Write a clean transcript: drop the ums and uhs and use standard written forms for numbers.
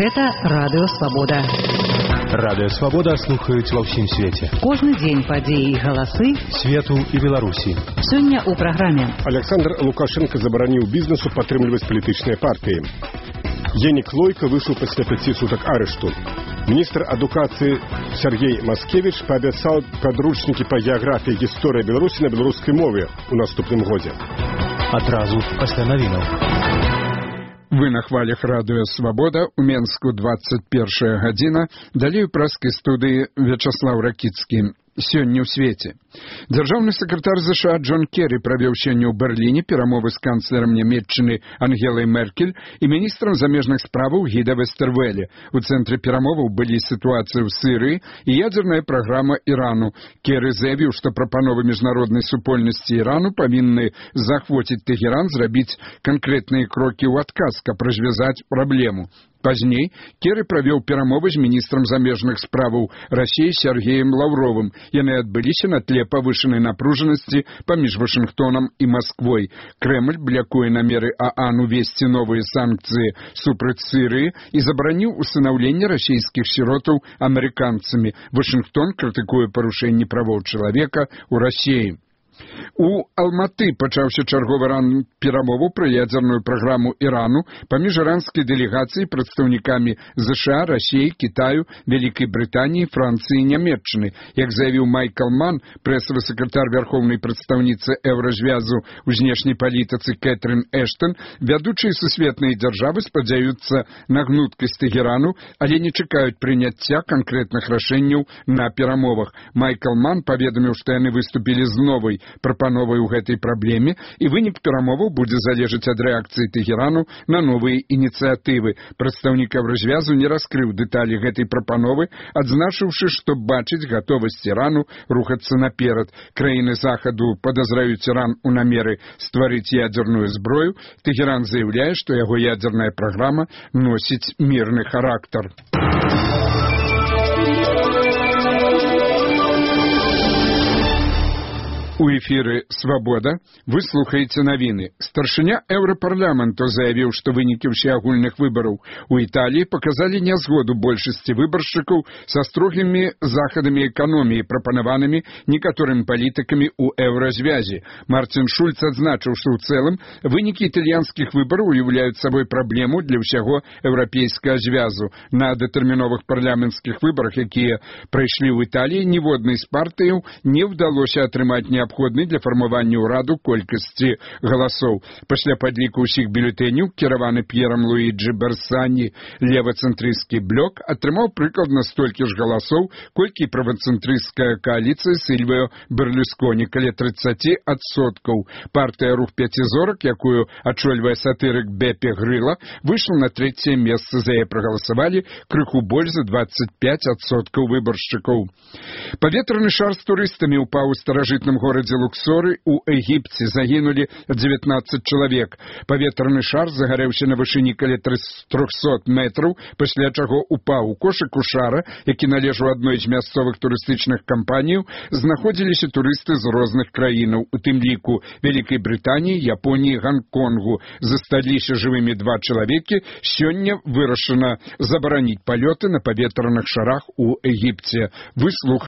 Гэта Радыё Свабода. Радыё Свабода слухаюць ва ўсім свеце. Кожны дзень падзеі і галасы свету і Беларусі. Сёння ў праграме. Александр Лукашенко забараніў бізнесу падтрымліваць палітычныя партыі. Енік Лойка выйшаў пасля 5 сутак арышту. Міністр адукацыі Сергей Маскевич паабяцаў падручнікі па геаграфіі і гісторыі Беларусі на беларускай мове ў наступным годзе. Адразу пасля навінаў. Вы на хвалях Радыё Свабода, у Менску 21 гадзіна, далей у праскай студыі Вячаслаў Ракіцкі. Сёння ў свеце. Дзяржаўны сакратар ЗША Джон Керрі правёў сёння ў Берліне перамовы з канцлерам Нямецчыны Ангелай Меркель і міністрам замежных справаў Гіда Вестэрвэле. У цэнтры перамоваў былі сітуацыя ў Сірыі і ядзерная праграма Ірану. Керрі заявіў, што прапановы міжнароднай супольнасці Ірану павінны захвоціць Тэгеран зрабіць канкрэтныя крокі ў адказ, каб развязаць праблему. Пазней Керрі правёў перамовы з міністрам замежных справаў Расіі Сергеем Лаўровым. Яны адбыліся на тле павышанай напружанасці паміж Вашынгтонам і Масквой. Крэмль блякуе намеры ААН увесці новыя санкцыі супраць Сірыі і забараніў усынаўленне расійскіх сіротаў амерыканцамі. Вашынгтон крытыкуе парушэнні правоў чалавека ў Расіі. У Алматы пачаўся чарговы раунд перамоваў пра ядзерную праграму Ірану паміж іранскай дэлегацыяй прадстаўнікамі ЗША, Расіі, Кітаю, Вялікай Брытаніі, Францыі і Нямецчыны. Як заявіў Майкл Ман, прэсавы сакратар вярхоўнай прадстаўніцы Еўразвязу ў знешняй палітыцы Кэтрын Эштон, вядучыя сусветныя дзяржавы спадзяюцца на гнуткасць Тэгерану, але не чакаюць прыняцця канкрэтных рашэнняў на перамовах. Майкл Ман паведаміў, што яны выступілі з новай прапановай у гэтай праблеме, і вынік перамоваў будзе залежаць ад рэакцыі Тэгерану на новыя ініцыятывы. Прадстаўнік Еўразвязу не раскрыў дэталі гэтай прапановы, адзначыўшы, што бачыць гатовасць Ірану рухацца наперад. Краіны Захаду падазраюць Іран у намеры стварыць ядзерную зброю. Тэгеран заяўляе, што яго ядзерная праграма носіць мірны характар. У эфіры «Свабода» вы слухаеце навіны. Старшыня Еўрапарламенту заявіў, што вынікі ўсеагульных выбараў у Італіі паказалі нязгоду большасці выбаршчыкаў са строгімі захадамі эканоміі, прапанаванымі некаторымі палітыкамі ў Еўразвязе. Марцін Шульц адзначыў, што ў цэлым вынікі італьянскіх выбараў уяўляюць сабой праблему для ўсяго еўрапейскага звязу. На датэрміновых парламенцкіх выбарах, якія прайшлі ў Італіі, ніводнай з партыяў не ўдалося атрымаць неабходнай для фармавання ўраду колькасці галасоў. Пасля падліку ўсіх бюлетэняў, кіраваны П'ерам Луіджі Берсані, левацэнтрысцкі блок атрымаў прыкладна столькі ж галасоў, колькі правацэнтрысцкая кааліцыя Сільвіо Берлусконі, каля 30%. Партыя «Рух пяцізорак», якую ачольвае сатырык Бепе Грыла, выйшла на 3-е месца. За яе прагаласавалі крыху больш за 25% выбаршчыкаў. Паветраны шар з турыстамі ўпаў у старажытным горадзе Луксоры у Егіпце. Загінулі 19 чалавек. Паветраны шар загарэўся на вышыні каля 300 метраў, пасля чаго упаў. У кошыку шара, які належаў адной з мясцовых турыстычных кампаніяў, знаходзіліся турысты з розных краінаў, у тым ліку Вялікай Брытаніі, Японіі, Ганконгу. Засталіся жывымі 2 чалавекі. Сёння вырашана забараніць палёты на паветраных шарах у Егіпце. Вы слухаеце